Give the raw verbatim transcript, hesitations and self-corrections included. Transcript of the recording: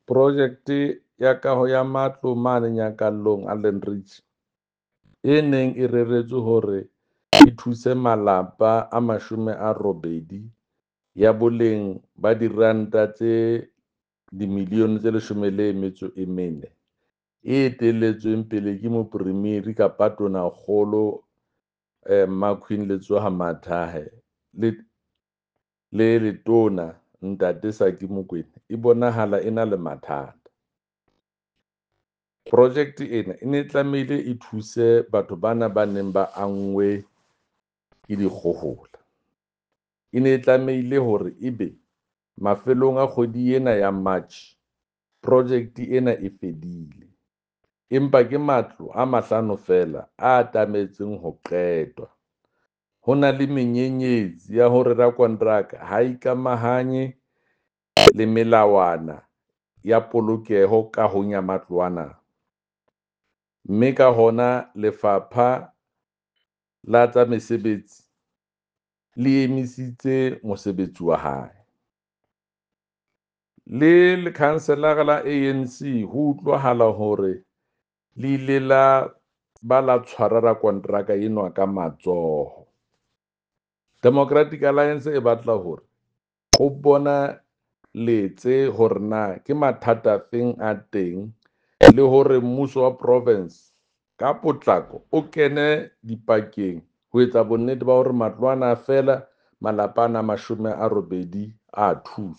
Project ya kaho ya matlo mane Nyakallong Allanridge e neng e reretswe hore e thuse malapa a mashome a robedi ya boleng ba diranta tse dimilione tse leshome le metso e mene, e etelletsweng pele ke Moporeimiri kapa Tonakgolo Mma Queen Letsoha-Mathae le le Letona Ntate Saki Mokwena e bonahala e na le mathata. Project ena e ne tlamehile e thuse batho bana ba neng ba anngwe ke dikgohola. E ne e tlamehile hore ebe mafelong a kgwedi ena ya March project ena e fedile, empa ke matlo a mahlano feela a tlametseng ho qetwa. Ho na le menyenyetsi ya hore rakonteraka ha ikamahanye le melawana ya polokeho kahong ya matlo ana, mme ka hona Lefapha la tsa Mesebetsi le emisitse mosebetsi wa hae. Le lekhanselara la A_N_C ho utlwahala hore le ile la ba la tshwara rakonteraka enwa ka matsoho. Democratic Alliance e batla hore ho bona letse hore na ke mathata a feng a teng le hore mmuso wa province ka potlako o kene dipakeng ho etsa bonnete ba hore matlo ana a fela, malapa ana a mashome a robedi a thuswa.